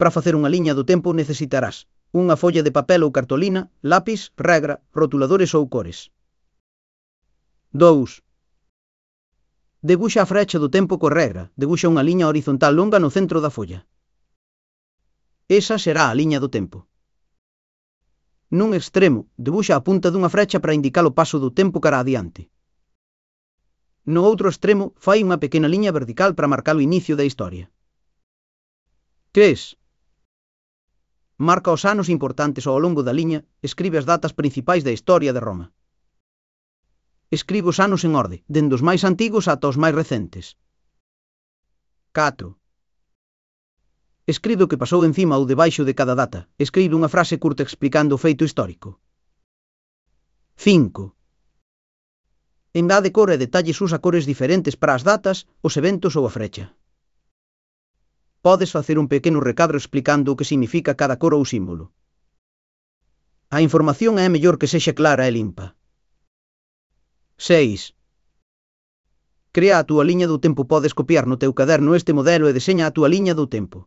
Para facer unha liña do tempo necesitarás unha folla de papel ou cartolina, lápis, regra, rotuladores ou cores. 2. Debuxa a frecha do tempo co regra. Debuxa unha liña horizontal longa no centro da folla. Esa será a liña do tempo. Nun extremo, debuxa a punta dunha frecha para indicar o paso do tempo cara adiante. No outro extremo, fai unha pequena liña vertical para marcar o inicio da historia. 3. Marca os anos importantes ao longo da liña, escribe as datas principais da historia de Roma. Escribe os anos en orde, dende os máis antigos ata os máis recentes. 4. Escribe o que pasou encima ou debaixo de cada data. Escribe unha frase curta explicando o feito histórico. 5. Engade cor e detalles, usa cores diferentes para as datas, os eventos ou a frecha. Podes facer un pequeno recadro explicando o que significa cada cor ou símbolo. A información é mellor que sexa clara e limpa. 6. Crea a túa liña do tempo. Podes copiar no teu caderno este modelo e deseña a túa liña do tempo.